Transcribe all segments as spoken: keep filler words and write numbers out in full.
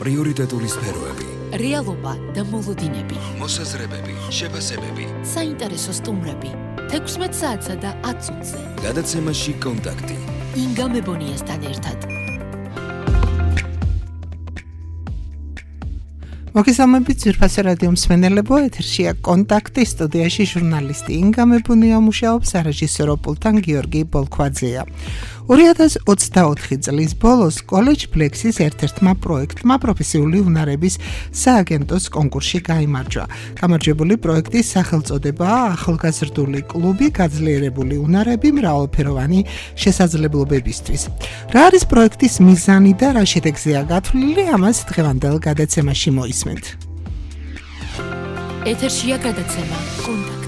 პრიორიტეტული სფეროები, რეალობა და მოლოდინები, მოსაზრებები, შეფასებები, საინტერესო სტუმრები, თექვსმეტ საათსა და ათ წუთზე. გადაცემაში კონტაქტი. ინგა მებონიასთან ერთად. მოგესალმებით ძვირფასი რადიო მსმენელებო, ეთერშია კონტაქტი, სტუდიაში ჟურნალისტი ინგა მებონია მუშაობს, სარეჟისორო პულტთან გიორგი ბოლქვაძეა. ორი ათას ოცდაოთხი წლის ბოლოს კოლეჯ ფლექსის ერთ-ერთმა პროექტმა პროფესიული უნარების სააგენტოს კონკურსში გაიმარჯვა. გამარჯვებული პროექტის სახელწოდებაა ახალგაზრდული კლუბი გაძლიერებული უნარები მრავალფეროვანი შესაძლებლობებისთვის. რა არის პროექტის მიზანი და რა შედეგზეა გათვლილი, ამას დღევანდელ გადაცემაში მოისმენთ. ეთერშია გადაცემა კონტაქტი.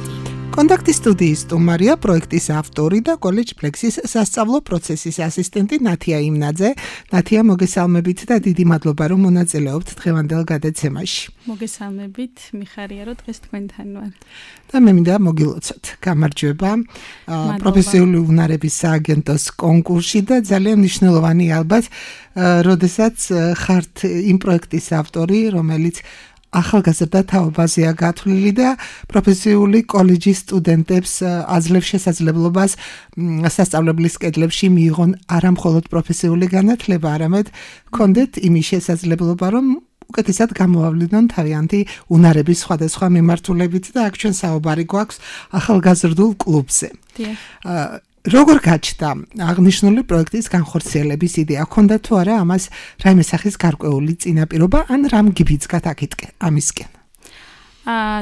კონტაქტის სტუდიის სტუმარია პროექტის ავტორი და კოლეჯ ფლექსის სასწავლო პროცესის ასისტენტი ნათია იმნაძე. ნათია, მოგესალმებით და დიდი მადლობა რომ მონაწილეობთ დღევანდელ გადაცემაში. მოგესალმებით, მიხარია რომ დღეს თქვენთან ვარ. და მე მინდა მოგილოცოთ. გამარჯვება პროფესიული უნარების სააგენტოს კონკურსში და ძალიან მნიშვნელოვანი ალბათ, როდესაც ხართ იმ პროექტის ავტორი, რომელიც ახალგაზრდა თაობაზეა გათვლილი და პროფესიული კოლეჯის სტუდენტებს აძლევს შესაძლებლობას სასწავლებლის კედლებში მიიღონ არა მხოლოდ პროფესიული განათლება, არამედ ჰქონდეთ იმის შესაძლებლობა, რომ უკეთესად გამოავლინონ თავიანთი უნარების სხვადასხვა მიმართულებით და აქ ჩვენ საუბარი გვაქვს ახალგაზრდულ კლუბზე. როგორ გაჩნდა აღნიშნული პროექტის განხორციელების იდეა? ჰქონდა თუ არა ამას რაიმე სახის გარკვეული წინაპირობა ან რამ გიბიძგათ აქეთკენ ამისკენ? აა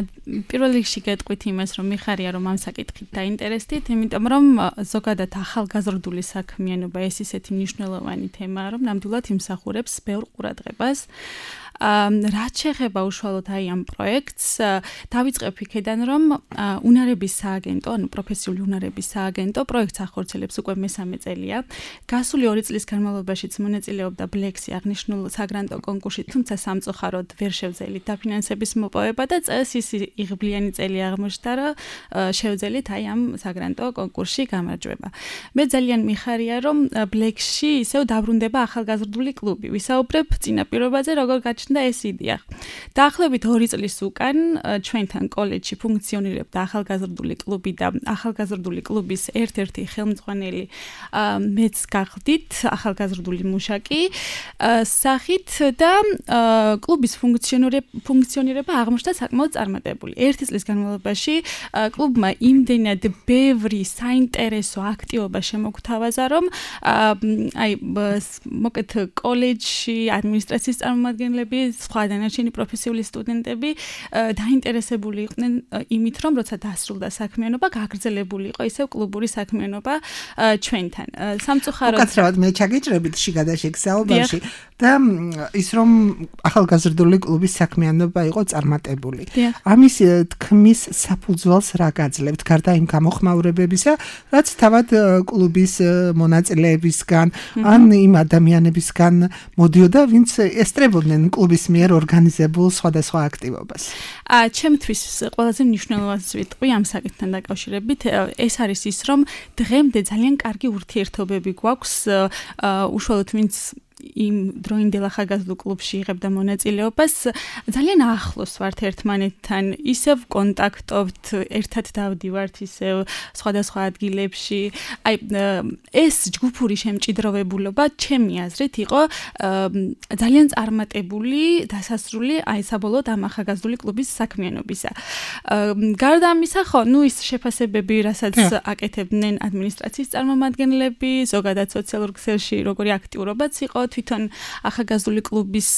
პირველ რიგში გეტყვით იმას, რომ მიხარია რომ ამ საკითხით დაინტერესდით, იმიტომ რომ ზოგადად ახალგაზრდული საქმიანობა ეს ისეთი მნიშვნელოვანი თემაა, რომ ნამდვილად იმსახურებს ბევრ ყურადღებას. რაც შეეხება უშუალოდ აი ამ პროექტს, დავიწყებ იქედან, რომ უნარების სააგენტო, ანუ პროფესიული უნარების სააგენტო პროექტს ახორციელებს უკვე მესამე წელია. გასული ორი წლის განმავლობაშიც მონაწილეობდა ბლექსი აღნიშნულ საგრანტო კონკურსში, თუმცა სამწუხაროდ ვერ შევძელით დაფინანსების მოპოვება და წელს ის იღბლიანი წელი აღმოჩნდა, რომ შევძელით აი ამ საგრანტო კონკურსში გამარჯვება. მე ძალიან მიხარია, რომ ბლექსში ისევ დაბრუნდება ახალგაზრდული კლუბი. ვისაუბრებ წინაპირობაზე, როგორ გაჩნდა და ეს იდეა. დაახლოებით ორი წლის უკან ჩვენთან კოლეჯში ფუნქციონირებდა ახალგაზრდული კლუბი და ახალგაზრდული კლუბის ერთ-ერთი ხელმძღვანელი მეც გახდით, ახალგაზრდული მუშაკი სახით და კლუბის ფუნქციონირება აღმოჩნდა საკმაოდ წარმატებული. ერთი წლის განმავლობაში კლუბმა იმდენად ბევრი საინტერესო აქტივობა შემოგთავაზა, რომ აი მოკეთ კოლეჯში ადმინისტრაციის წარმომადგენლები სხვა დანარჩენი პროფესიული სტუდენტები დაინტერესებული იყვნენ იმით, რომ როცა დასრულდა საქმიანობა, გაგრძელებული იყო ისევ კლუბური საქმიანობა ჩვენთან. სამწუხაროდ უკაცრავად მე ჩაგიჭრებით შიგადაშიგ საუბარში და ის რომ ახალგაზრდული კლუბის საქმიანობა იყო წარმატებული. ამის თქმის საფუძველს რა გაძლევთ, გარდა იმ გამოხმაურებებისა, რაც თავად კლუბის მონაწილეებისგან ან იმ ადამიანებისგან მოდიოდა, ვინც ესწრებოდნენ კლუბის მიერ ორგანიზებულ სხვადასხვა აქტივობას. აა ჩემთვის ყველაზე მნიშვნელოვანი ვიტყვი ამ საკითხთან დაკავშირებით, ეს არის ის, რომ დღემდე ძალიან კარგი ურთიერთობები გვაქვს უშუალოდ ვინც იმ დროინდელ ახალგაზრდულ კლუბში იღებდა მონაწილეობას, ძალიან ახლოს ვართ ერთმანეთთან, ისევ კონტაქტობთ, ერთად დავდივართ ისევ სხვადასხვა ადგილებში. აი ეს ჯგუფური შემჭიდროვებულობა ჩემი აზრით იყო ძალიან წარმატებული დასასრული აი საბოლოოდ ამ ახალგაზრდული კლუბის საქმიანობისა. გარდა ამისა, ხო, ნუ ის შეფასებები, რასაც აკეთებდნენ ადმინისტრაციის წარმომადგენლები, ზოგადად სოციალურ ქსელში როგორი აქტიურობაც იყო, თვითონ ახალგაზრდული კლუბის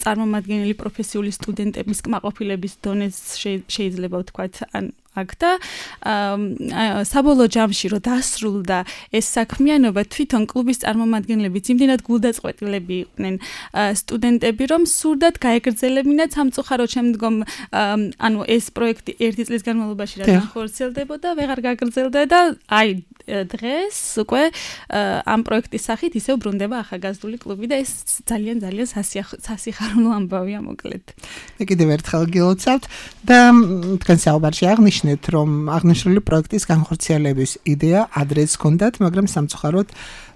წარმომადგენელი პროფესიული სტუდენტების კმაყოფილების დონეს შეიძლება ვთქვათ, ან აქ და საბოლოო ჯამში რომ დასრულდა ეს საქმიანობა, თვითონ კლუბის წარმომადგენლებიც იმდენად გულდაწყვეტილები იყვნენ სტუდენტები, რომ სურდათ გაეგრძელებინათ სამწუხაროდ შემდგომ ანუ ეს პროექტი ერთი წლის განმავლობაში რა განხორციელდებოდა, ვეღარ გაგრძელდა და აი დღეს უკვე ამ პროექტის სახით ისევ ბრუნდება ახალგაზრდული კლუბი და ეს ძალიან ძალიან სასიხარულო ამბავია მოკლედ. მე კიდევ ერთხელ გილოცავთ და თქვენ საუბარში აღნიშნეთ, რომ აღნიშნული პროექტის განხორციელების იდეა ადრეც ჰქონდათ, მაგრამ სამწუხაროდ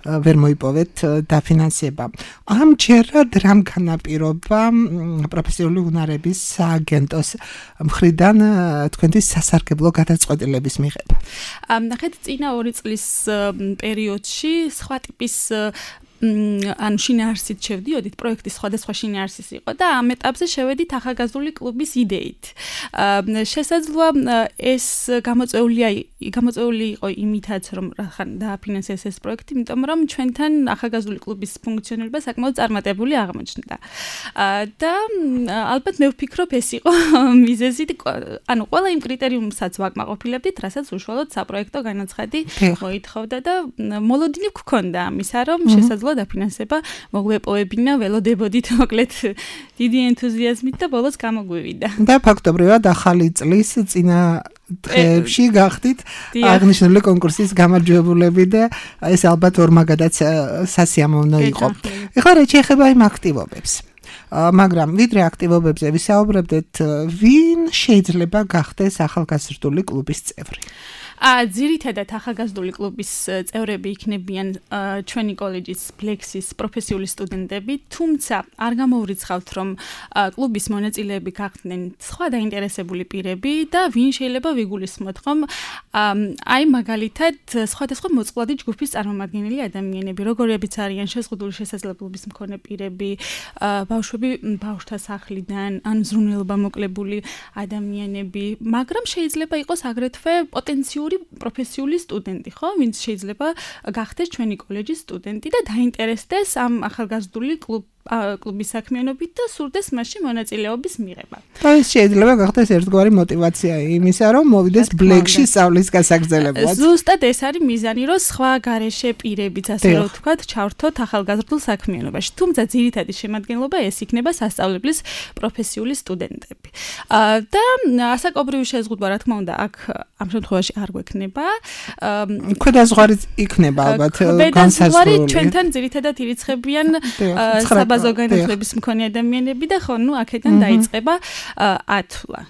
ვერ მოიპოვეთ დაფინანსება. ამჯერად რამ განაპირობა პროფესიული უნარების სააგენტოს მხრიდან თქვენთვის სასარგებლო გადაწყვეტილების მიღება? ნახეთ, წინა ორი წლის პერიოდში სხვა ტიპის ანუ შინაარსით შევდიოდით, პროექტის სხვადასხვა შინაარსის იყო და ამ ეტაპზე შევედით ახალგაზრდული კლუბის იდეით. შესაძლოა ეს გამოწვეულია გამოწვეული იყო იმითაც, რომ ხან დააფინანსეს ეს პროექტი, იმიტომ რომ ჩვენთან ახალგაზრდული კლუბის ფუნქციონირება საკმაოდ წარმატებული აღმოჩნდა. და ალბათ მე ვფიქრობ, ეს იყო მიზეზი, ანუ ყველა იმ კრიტერიუმსაც ვაკმაყოფილებდით, რასაც უშუალოდ საპროექტო განაცხადი მოითხოვდა და მოლოდინი გვქონდა ამისა, რომ შესაძლოა დაფინანსება მოგვეპოვებინა, ველოდებოდით მოკლედ დიდი ენთუზიაზმით და ბოლოს გამოგვივიდა. და ფაქტობრივად ახალი წლის წინა დღეებში გახდით აღნიშნული კონკურსის გამარჯვებულები და ეს ალბათ ორმაგადაც სასიამოვნო იყო. ეხლა რა შეეხება იმ აქტივობებს? მაგრამ ვიდრე აქტივობებზე ვისაუბრებდეთ, ვინ შეიძლება გახდეს ახალგაზრდული კლუბის წევრი? ა ძირითადად ახალგაზრდული კლუბის წევრები იქნებიან ჩვენი კოლეჯის ბლექსის პროფესიული სტუდენტები, თუმცა არ გამოვრიცხავთ, რომ კლუბის მონაწილეები გახდნენ სხვა დაინტერესებული პირები და ვინ შეიძლება ვიგულისხმოთ, რომ აი მაგალითად სხვადასხვა მოწყვლადი ჯგუფის წარმომადგენელი ადამიანები, როგორებიც არიან შეზღუდული შესაძლებლობის მქონე პირები, ბავშვები ბავშვთა სახლიდან, ან ზრუნველობა მოკლებული ადამიანები, მაგრამ შეიძლება იყოს აგრეთვე პოტენციური პროფესიული სტუდენტი, ხო, ვინც შეიძლება გახდეს ჩვენი კოლეჯის სტუდენტი და დაინტერესდეს ამ ახალგაზრდული კლუბ კლუბის საქმიანობით და სურდეს მასში მონაწილეობის მიღება. და ეს შეიძლება გახდეს ერთგვარი мотиваცია იმისა, რომ მოვიდეს ბლექში სწავლის გასაგრძელებლად. ზუსტად ეს არის მიზანი, რომ სხვა გარეშე პირებიც, ასე რომ ვთქვათ, ჩავრთოთ ახალგაზრდულ საქმიანობაში. თუმცა ძირითადი შემადგენლობა ეს იქნება სასწავლებლის პროფესიული სტუდენტები. და ასაკობრივი შეზღუდვა, რა თქმა უნდა, აქ ამ შემთხვევაში არ გვექნება. ქვედაზღვარი იქნება ალბათ განსაზღვრული. ქვედაზღვარი ჩვენთან ძირითადად ირიცხებიან საბაზო განათლების მქონე ადამიანები და ხო, ნუ აქედან დაიწყება ათვლა.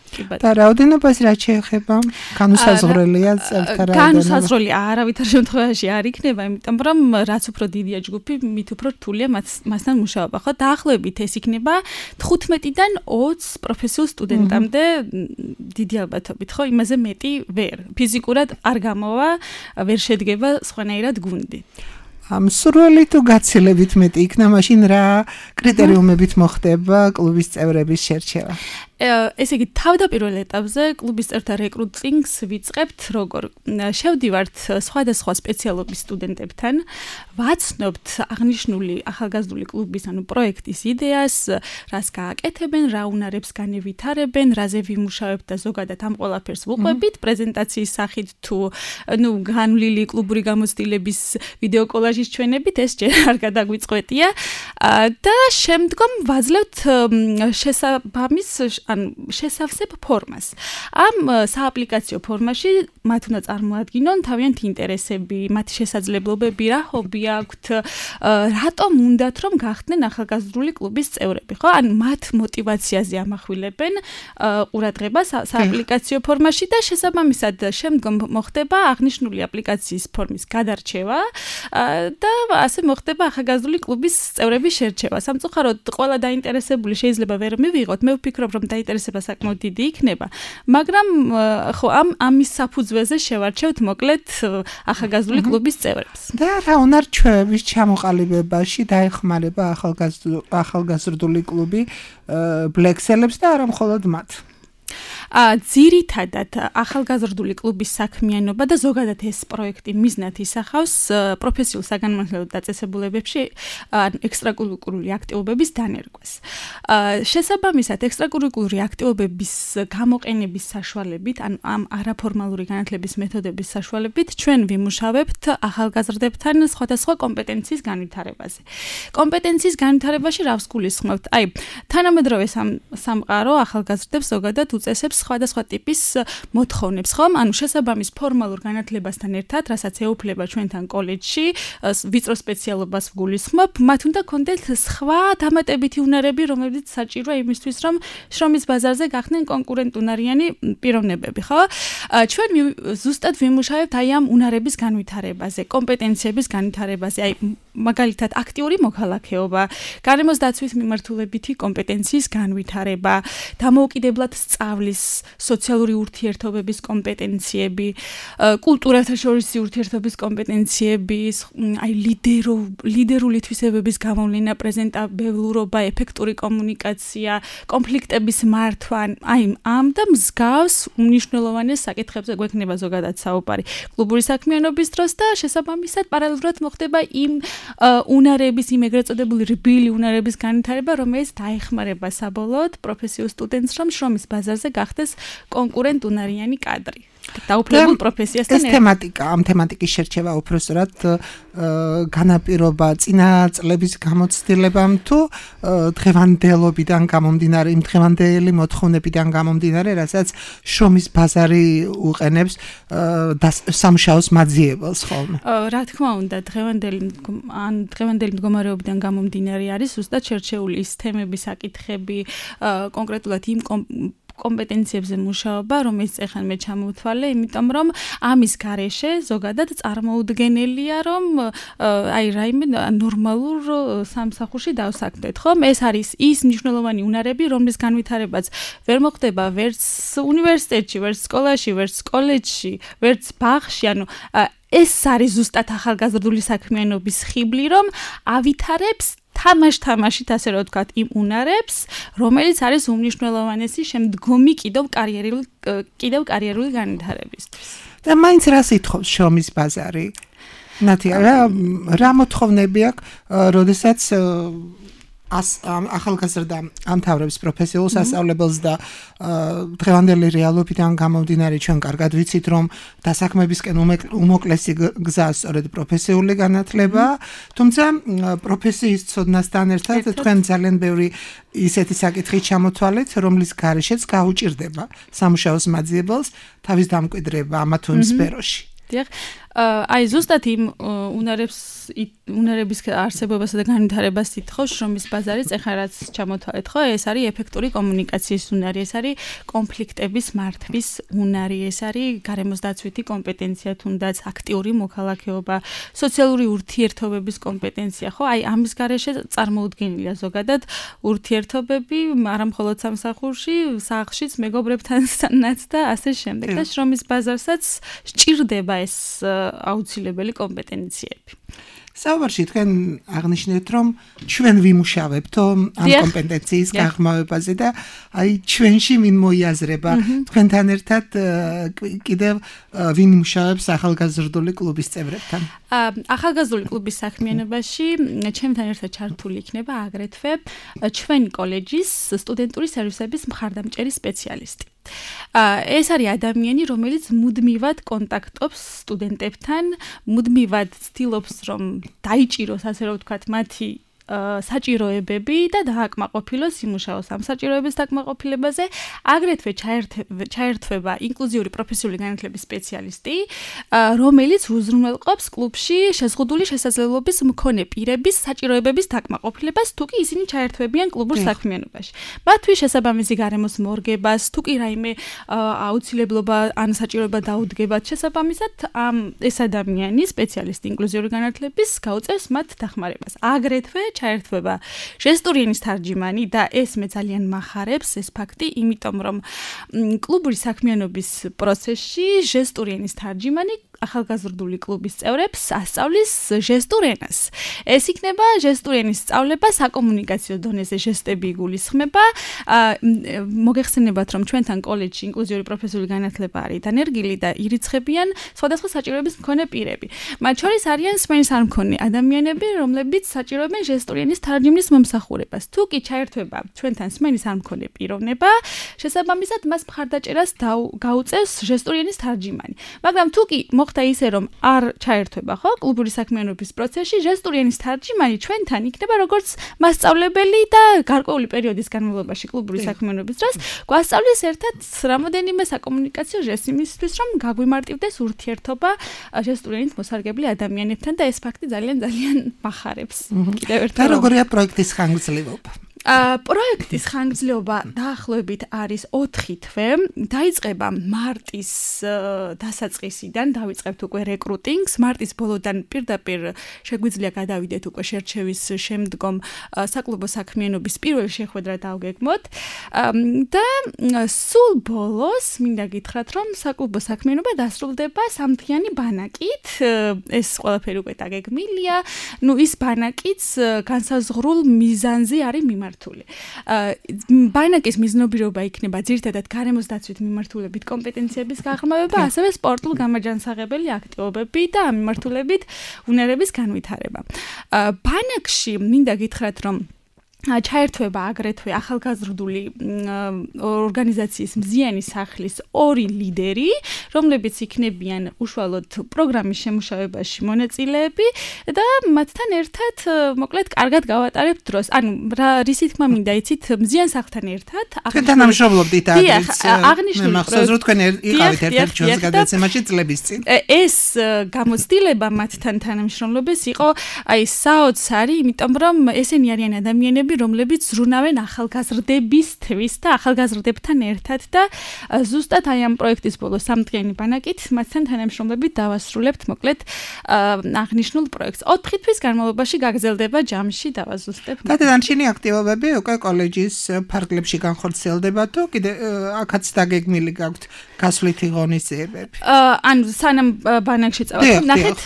და რაოდენობას რა შეეხება? განუსაზღვრელია წევრთა რაოდენობა? განუსაზღვრელი არავითარ შემთხვევაში არ იქნება, იმიტომ რომ რაც უფრო დიდია ჯგუფი, მით უფრო რთულია მასთან მუშაობა, ხო? დაახლოებით ეს იქნება თხუთმეტიდან ოცს პროფესიულ სტუდენტამდე დიდი ალბათობით, ხო? იმაზე მეტი ვერ. ფიზიკურად არ გამოვა, ვერ შედგება სხვანაირად გუნდი. სურველი თუ გაცილებით მეტი იქნა, მაშინ რა კრიტერიუმებით მოხდება კლუბის წევრების შერჩევა? ესე იგი, თავდაპირველ ეტაპზე კლუბის წევრთა რეკრუტინგს ვიწყებთ როგორ? შევდივართ სხვადასხვა სპეციალობის სტუდენტებთან, ვაცნობთ აღნიშნული ახალგაზრდული კლუბის, ანუ პროექტის იდეას, რას გააკეთებენ, რა უნარებს განევითარებენ, რაზე ვიმუშავებთ და ზოგადად ამ ყველაფერს ვუყვებით, პრეზენტაციის სახით თუ ნუ განვლილი კლუბური გამოცდილების ვიდეო კოლაჟის ჩვენებით, ეს ჯერ არ გადაგვიწყვეტია და შემდგომ ვაძლევთ შესაბამის ან შესავსებ ფორმას. ამ სააპლიკაციო ფორმაში მათ უნდა წარმოადგინონ თავიანთი ინტერესები, მათი შესაძლებლობები, რა ჰობი აქვთ, რატომ უნდათ რომ გახდნენ ახალგაზრდული კლუბის წევრები, ხო? ან მათ мотиваციაზე ამახვილებენ ყურადღებას სააპლიკაციო ფორმაში და შესაბამისად შემდგომ მოხდება აღნიშნული აპლიკაციის ფორმის გადარჩევა და ასე მოხდება ახალგაზრდული კლუბის წევრების შერჩევა. სამწუხაროდ ყველა დაინტერესებული შეიძლება ვერ მივიღოთ. მე ვფიქრობ, რომ დაინტერესება საკმაოდ დიდი იქნება, მაგრამ ხო ამ ამის საფუძველზე შევარჩევთ მოკლედ ახალგაზრდული კლუბის წევრებს. და რა უნარ-ჩვევების ჩამოყალიბებაში დაეხმარება ახალგაზრდული კლუბი ბლექსელებს და არა მხოლოდ მათ? ა ძირითადად ახალგაზრდული კლუბის საქმიანობა და ზოგადად ეს პროექტი მიზნად ისახავს პროფესიულ საგანმანათლებლო დაწესებულებებში ექსტრაკურიკულური აქტივობების დანერგვას. შესაბამისად, ექსტრაკურიკულური აქტივობების გამოყენების საშუალებით, ან ამ არაფორმალური განათლების მეთოდების საშუალებით ჩვენ ვიმუშავებთ ახალგაზრდებთან სხვადასხვა კომპეტენციის განვითარებაზე. კომპეტენციის განვითარებაში რავს გულისხმობთ? აი, თანამედროვე სამყარო ახალგაზრდებს ზოგადად უწესებს აკმაყოფილებს სხვადასხვა ტიპის მოთხოვნებს, ხომ? ანუ შესაბამის ფორმალურ განათლებასთან ერთად, რასაც ეუფლება ჩვენთან კოლეჯში, ვიწრო სპეციალობას ვგულისხმობ, მათ უნდა კონდეთ სხვა დამატებითი უნარები, რომლებიც საჭიროა იმისთვის, რომ შრომის ბაზარზე გახდნენ კონკურენტუნარიანი პიროვნებები, ხო? ჩვენ ზუსტად ვიმუშავებთ აი ამ უნარების განვითარებაზე, კომპეტენციების განვითარებაზე, აი მაგალითად აქტიური მოქალაქეობა, გარემოს დაცვის მიმართულებითი კომპეტენციის განვითარება, დამოუკიდებლად სწავლის, სოციალური ურთიერთობების კომპეტენციები, კულტურათა შორისი ურთიერთობის კომპეტენციები, აი ლიდერო ლიდერული თვისებების გამოვლენა, პრეზენტაბელურობა, ეფექტური კომუნიკაცია, კონფლიქტების მართვა, აი ამ და მსგავს უმნიშვნელოვანეს საკითხებზე გვექნება ზოგადად საუბარი კლუბური საქმიანობის დროს და შესაბამისად პარალელურად მოხდება იმ უნარების, იმ ეგრეთ წოდებული რბილი უნარების განვითარება, რომელიც დაეხმარება საბოლოოდ პროფესიულ სტუდენტს, რომ შრომის ბაზარზე გახდეს კონკურენტუნარიანი კადრი. დაუფლებულ პროფესიასთან ეს თემატიკა, ამ თემატიკის შერჩევა უпроსტად განაპირობა წინა წლების გამოცდილებამ თუ დღევანდელობიდან გამომდინარე, იმ დღევანდელი მოთხოვნებიდან გამომდინარე, რასაც შრომის ბაზარი უყენებს სამუშაოს მაძიებელს ხოლმე. რა თქმა უნდა, დღევანდელი ან დღევანდელი მდგომარეობიდან გამომდინარე არის ზუსტად შერჩეული ის თემები, საკითხები, კონკრეტულად იმ კომპეტენციებზე მუშაობა, რომელიც ეხლა მე ჩამოვთვალე, იმიტომ რომ ამის გარეშე ზოგადად წარმოუდგენელია, რომ აი რაიმე ნორმალურ სამსახურში დავსაქმდეთ, ხომ? ეს არის ის მნიშვნელოვანი უნარები, რომლის განვითარებაც ვერ მოხდება ვერც უნივერსიტეტში, ვერც სკოლაში, ვერც კოლეჯში, ვერც ბაღში, ანუ ეს არის ზუსტად ახალგაზრდული საქმიანობის ხიბლი, რომ ავითარებს თამაშ-თამაშით, ასე რომ ვთქვათ, იმ უნარებს, რომელიც არის უმნიშვნელოვანესი შემდგომი კიდევ კარიერული კიდევ კარიერული განვითარებისთვის. და მაინც რას ითხოვს შრომის ბაზარი? ნათია, რა რა მოთხოვნები აქვს, როდესაც ახალგაზრდა ამთავრებს პროფესიულ სასწავლებელს და დღევანდელი რეალობიდან გამომდინარე ჩვენ კარგად ვიცით, რომ დასაქმებისკენ უმოკლესი გზა სწორედ პროფესიული განათლებაა, თუმცა პროფესიის ცოდნასთან ერთად თქვენ ძალიან ბევრი ისეთი საკითხი ჩამოთვალეთ, რომლის გარეშეც გაუჭირდება სამუშაოს მაძიებელს თავის დამკვიდრება ამა თუ იმ სფეროში. დიახ, აი ზუსტად იმ უნარებს უნარების არსებობასა და განვითარებას ითხოვს შრომის ბაზარიც, ეხლა რაც ჩამოთვალეთ, ხო? ეს არის ეფექტური კომუნიკაციის უნარი, ეს არის კონფლიქტების მართვის უნარი, ეს არის გარემოს დაცვითი კომპეტენცია, თუნდაც აქტიური მოქალაქეობა, სოციალური ურთიერთობების კომპეტენცია, ხო? აი ამის გარეშე წარმოუდგენელია ზოგადად ურთიერთობები, არა მხოლოდ სამსახურში, სახლშიც, მეგობრებთანაც და ასე შემდეგ. და შრომის ბაზარსაც სჭირდება ეს აუცილებელი კომპეტენციები. საუბარში თქვენ აღნიშნეთ, რომ ჩვენ ვიმუშავებთ ამ კომპეტენციის გაღრმავებაზე და აი ჩვენში ვინ მოიაზრება თქვენთან ერთად კიდევ ვინ იმუშავებს ახალგაზრდული კლუბის წევრებთან? ახალგაზრდული კლუბის საქმიანობაში ჩემთან ერთად ჩართული იქნება აგრეთვე ჩვენი კოლეჯის სტუდენტური სერვისების მხარდამჭერი სპეციალისტი. ეს არის ადამიანი, რომელიც მუდმივად კონტაქტობს სტუდენტებთან, მუდმივად ცდილობს, რომ დაიჭიროს, ასე რომ ვთქვათ, მათი საჭიროებები და დააკმაყოფილოს იმუშაოს ამ საჭიროების დაკმაყოფილებაზე, აგრეთვე ჩაერთვება ინკლუზიური პროფესიული განათლების სპეციალისტი, რომელიც უზრუნველყოფს კლუბში შეზღუდული შესაძლებლობის მქონე პირების საჭიროებების დაკმაყოფილებას, თუ კი ისინი ჩაერთვებიან კლუბურ საქმიანობაში. მათთვის შესაბამისი გარემოს მორგებას, თუ კი რაიმე აუცილებლობა ან საჭიროება დაუდგებათ შესაბამისად, ეს ადამიანი, სპეციალისტი ინკლუზიური განათლების, გაუწევს მათ დახმარებას. აგრეთვე ჩაერთვება ჟესტური ენის თარჯიმანი და ეს მე ძალიან მახარებს ეს ფაქტი, იმიტომ რომ კლუბური საქმიანობის პროცესში ჟესტური ენის თარჯიმანი ახალგაზრდული კლუბის წევრებს ასწავლის ჟესტურ ენას. ეს იქნება ჟესტური ენის სწავლება საკომუნიკაციო დონეზე, ჟესტები იგულისხმება. მოგეხსენებათ, რომ ჩვენთან კოლეჯში ინკლუზიური პროფესიული განათლება არის დანერგილი და ირიცხებიან სხვადასხვა საჭიროების მქონე პირები. მათ შორის არიან სმენის არ მქონე ადამიანები, რომლებიც საჭიროებენ ჟესტური ენის თარჯიმნის მომსახურებას. თუ კი ჩაერთვება ჩვენთან სმენის არ მქონე პიროვნება, შესაბამისად მას მხარდაჭერას გაუწევს ჟესტური ენის თარჯიმანი. მაგრამ თუ კი მოხდა ისე რომ არ ჩაერთვება ხო კლუბური საქმიანობის პროცესში ჟესტურიანის თარჯიმანი ჩვენთან იქნება როგორც მასწავლებელი და გარკვეული პერიოდის განმავლობაში კლუბური საქმიანობის დროს გვასწავლის ერთად რამოდენიმე საკომუნიკაციო ჟესტ იმისთვის რომ გაგვიმარტივდეს ურთიერთობა ჟესტურიანით მოსარგებლე ადამიანებთან და ეს ფაქტი ძალიან ძალიან მახარებს კიდევ ერთხელ და როგორია პროექტის ხანგრძლივობა ა პროექტის ხანგრძლივობა დაახლოებით არის ოთხი თვე. დაიწყება მარტის დასაწყისიდან, დავიწყებთ უკვე რეკრუტინგს. მარტის ბოლოდან პირდაპირ შეგვიძლია გადავიდეთ უკვე შერჩევის შემდგომ საკლუბო საქმიანობის პირველ შეხვედრა დავგეგმოთ. და სულ ბოლოს მინდა გითხრათ, რომ საკლუბო საქმიანობა დასრულდება სამთვიანი ბანაკით. ეს ყველაფერი უკვე დაგეგმილია. ნუ ის ბანაკიც განსაზღვრულ მიზანზე არის მიმართული. ბანაკის მიზნობირობა იქნება ძირითადად გარემოს დაცვით მიმართულებით კომპეტენციების გაღრმავება, ასევე სპორტულ გამაჯანსაღებელი აქტივობები და ამ მიმართულებით უნარების განვითარება. ბანაკში მინდა გითხრათ, რომ ჩაერთვება აგრეთვე ახალგაზრდული ორგანიზაციის მზიანი სახლის ორი ლიდერი, რომლებიც იქნებიან უშუალოდ პროგრამის შემუშავებაში მონაწილეები და მათთან ერთად მოკლედ კარგად გავატარებთ დროს. ანუ რა რისი თქმა მინდა იცით, მზიან სახლთან ერთად თანამშრომლობდით აგრეთვე. მე მახსოვს რომ თქვენ იყავით ერთ-ერთ ჩვენს გადაცემაში წლების წინ. ეს გამოცდილება მათთან თანამშრომლობის იყო აი საოცარი, იმიტომ რომ ესენი არიან ადამიანები რომლებიც ზრუნავენ ახალგაზრდებისთვის და ახალგაზრდებთან ერთად და ზუსტად აი ამ პროექტის ბოლოს სამთვიანი ბანაკით მათთან თანამშრომლებით დავასრულებთ მოკლედ აღნიშნულ პროექტს. ოთხი თვის განმავლობაში გაგრძელდება ჯამში დავაზუსტებ. და დანარჩენი აქტივობები უკვე კოლეჯის ფარგლებში განხორციელდება თუ კიდე აქაც დაგეგმილი გაქვთ გასვლითი ღონისძიებები? ანუ სანამ ბანაკში წავართ, ნახეთ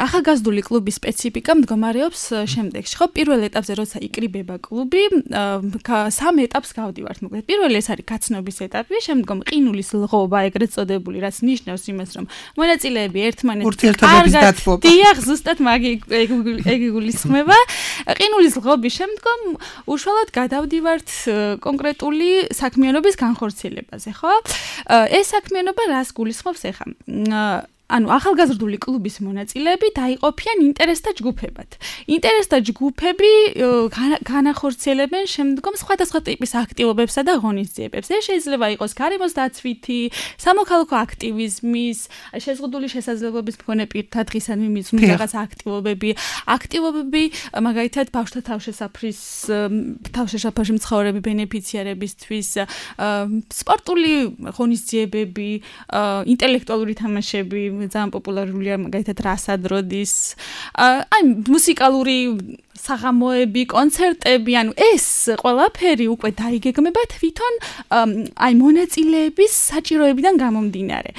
ახალგაზრდული კლუბის სპეციფიკა მდგომარეობს შემდეგში. ხო, პირველ ეტაპზე როცა იკრიბება კლუბი, სამ ეტაპს გავდივართ მოკლედ. პირველი ეს არის გაცნობის ეტაპი, შემდგომ ყინულის ლღობა, ეგრეთ წოდებული, რაც ნიშნავს იმას, რომ მონაწილეები ერთმანეთს ურთიერთობების დათბობა. დიახ, ზუსტად მაგი ეგ იგულისხმება. ყინულის ლღობის შემდგომ უშუალოდ გადავდივართ კონკრეტული საქმიანობის განხორციელებაზე, ხო? ეს საქმიანობა რას გულისხმობს ახლა? ანუ ახალგაზრდული კლუბის მონაწილეები დაიყოფიან ინტერესთა ჯგუფებად. ინტერესთა ჯგუფები განახორციელებენ შემდგომ სხვადასხვა ტიპის აქტივობებსა და ღონისძიებებს. ეს შეიძლება იყოს გარემოს დაცვითი, სამოქალაქო აქტივიზმის, შეზღუდული შესაძლებლობის მქონე პირთა დღისადმი მიზნული რაღაც აქტივობები, აქტივობები მაგალითად ბავშვთა თავშესაფრის თავშესაფარში მცხოვრები ბენეფიციარებისთვის, სპორტული ღონისძიებები, ინტელექტუალური თამაშები ძალიან პოპულარულია მაგალითად რასადროდის, აი მუსიკალური საღამოები, კონცერტები, ანუ ეს ყველაფერი უკვე დაიგეგმება თვითონ აი მონაწილეების საჭიროებიდან გამომდინარე.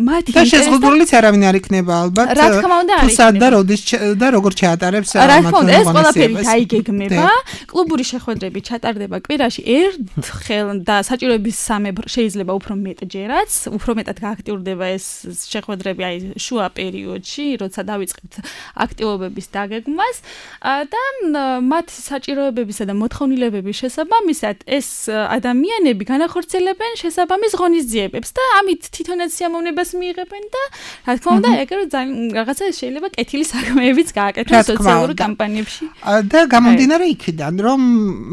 მათი და შეზღუდულიც არავინ არ იქნება ალბათ. რა თქმა უნდა არ იქნება. და როდის და როგორ ჩაატარებს რა თქმა უნდა ეს ყველაფერი დაიგეგმება. კლუბური შეხვედრები ჩატარდება კვირაში ერთხელ და საჭიროების სამებრ შეიძლება უფრო მეტჯერაც, უფრო მეტად გააქტიურდება ეს შეხვედრები აი შუა პერიოდში, როცა დავიწყებთ აქტივობების დაგეგმვას. და მათ საჭიროებებისა და მოთხოვნილებების შესაბამისად ეს ადამიანები განახორციელებენ შესაბამის ღონისძიებებს და ამით თვითონაც სიამოვნებას მიიღებენ და რა თქმა უნდა ეგრე რაღაცა შეიძლება კეთილი საქმეებიც გააკეთონ სოციალურ კამპანიებში. და გამომდინარე იქიდან რომ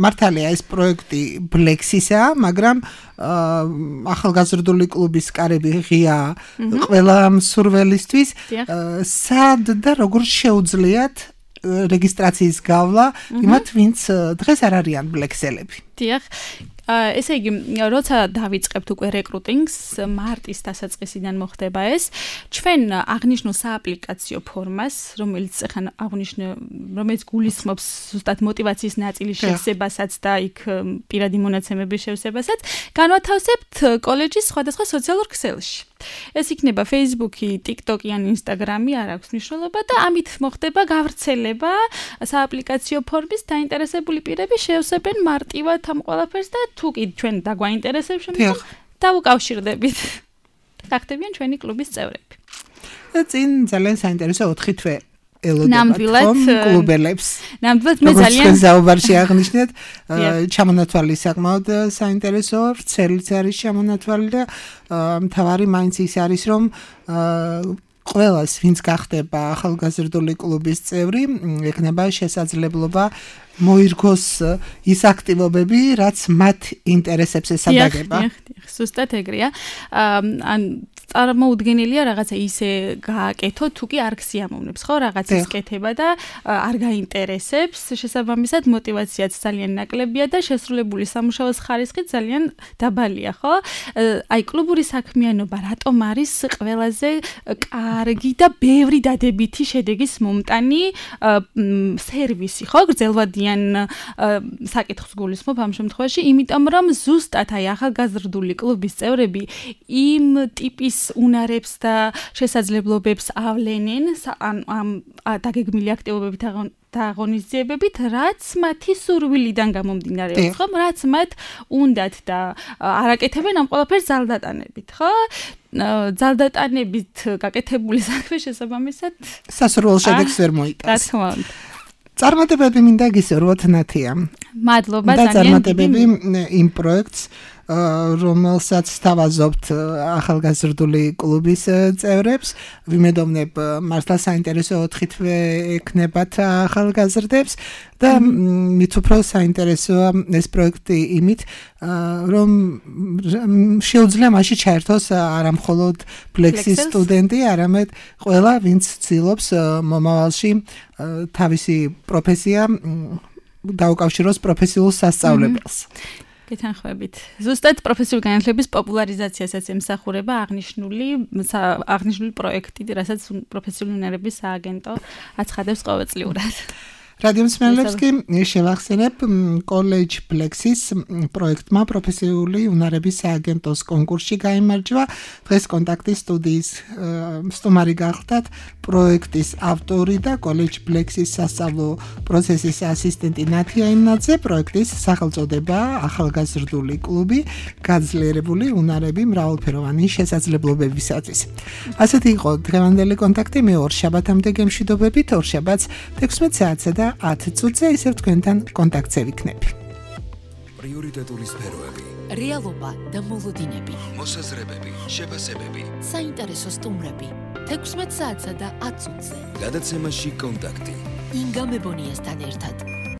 მართალია ეს პროექტი ბლექსისაა, მაგრამ ახალგაზრდული კლუბის კარები ღია ყველა მსურველისთვის. სად და როგორ შეუძლიათ რეგისტრაციის გავლა იმათ ვინც დღეს არ არიან ბლექსელები. დიახ. ესე იგი, როცა დავიწყებთ უკვე რეკრუტინგს, მარტის დასაწყისიდან მოხდება ეს, ჩვენ აღნიშნულ სააპლიკაციო ფორმას, რომელიც ახლა აღნიშნე, რომელიც გულისხმობს ზუსტად მოტივაციის ნაწილის შევსებასაც და იქ პირადი მონაცემების შევსებასაც, განვათავსებთ კოლეჯის სხვადასხვა სოციალურ ქსელში. ეს იქნება Facebook-ი, TikTok-ი ან Instagram-ი, არ აქვს მნიშვნელობა და ამით მოხდება გავრცელება სააპლიკაციო ფორმის დაინტერესებული პირები შევსებენ მარტივად ამ ყველაფერს და თუ კი ჩვენ დაგვაინტერესებს შემდგომ დავუკავშირდებით. გახდებიან ჩვენი კლუბის წევრები. და წინ ძალიან საინტერესო ოთხი თვე ელოდებათ ხომ კლუბელებს. ნამდვილად მე ძალიან როგორც საუბარში აღნიშნეთ, ჩამონათვალი საკმაოდ საინტერესოა, ვრცელიც არის ჩამონათვალი და მთავარი მაინც ის არის, რომ ყველას, ვინც გახდება ახალგაზრდული კლუბის წევრი, ექნება შესაძლებლობა მოირგოს ის აქტივობები, რაც მათ ინტერესებს ესადაგება. ზუსტად ეგრეა. ან წარმოუდგენელია რაღაცა ისე გააკეთო, თუ კი არ გსიამოვნებს, ხო, რაღაცის კეთება და არ გაინტერესებს, შესაბამისად мотиваციაც ძალიან ნაკლებია და შესრულებული სამუშაოს ხარისხი ძალიან დაბალია, ხო? აი კლუბური საქმიანობა რატომ არის ყველაზე კარგი და ბევრი დადებითი შედეგის მომტანი სერვისი, ხო? გრძელვადიან საკითხს გულისხმობ ამ შემთხვევაში, იმიტომ რომ ზუსტად აი ახალგაზრდული კლუბის წევრები იმ ტიპის უნარებს და შესაძლებლობებს ავლენენ ამ დაგეგმილი აქტივობებით და აღონიზებებით, რაც მათი სურვილიდან გამომდინარეობს, ხო? რაც მათ უნდათ და არაკეთებენ ამ ყველაფერს ძალდატანებით, ხო? ძალდატანებით გაკეთებული საქმე შესაბამისად სასურველ შედეგს ვერ მოიტანს. რა თქმა უნდა. წარმატებები მინდა გისურვოთ ნათია. მადლობა ძალიან. და წარმატებები იმ პროექტს რომელსაც თავაზობთ ახალგაზრდული კლუბის წევრებს, ვიმედოვნებ მართლა საინტერესო ოთხითვე ექნებათ ახალგაზრდებს და მით უფრო საინტერესოა ეს პროექტი იმით, რომ შეუძლია მასში ჩაერთოს არა მხოლოდ Plexis სტუდენტი, არამედ ყველა, ვინც ცდილობს მომავალში თავისი პროფესია დაუკავშიროს პროფესიულ სასწავლებელს. გეთანხმებით. ზუსტად პროფესიული განათლების პოპულარიზაციასაც ემსახურება აღნიშნული აღნიშნული პროექტი, რასაც პროფესიული უნარების სააგენტო აცხადებს ყოველწლიურად. რადიო მსმენელებს კი შევახსენებ College Plexis პროექტმა პროფესიული უნარების სააგენტოს კონკურსში გაიმარჯვა. დღეს კონტაქტის სტუდიის სტუმარი გახლდათ პროექტის ავტორი და College Plexis სასწავლო პროცესის ასისტენტი ნათია იმნაძე. პროექტის სახელწოდება ახალგაზრდული კლუბი, გაძლიერებული უნარები მრავალფეროვანი შესაძლებლობებისათვის. ასეთი იყო დღევანდელი კონტაქტი. მე ორ შაბათამდე გემშვიდობებით, ორ შაბათს თექვსმეტ საათსა და ათ წუთზე ისევ თქვენთან კონტაქტზე ვიქნები. პრიორიტეტული სფეროები, რეალობა და მოლოდინები, მოსაზრებები, შეფასებები, საინტერესო სტუმრები, თექვსმეტ საათსა და ათ წუთზე. გადაცემაში კონტაქტი. ინგა მებონიასთან ერთად.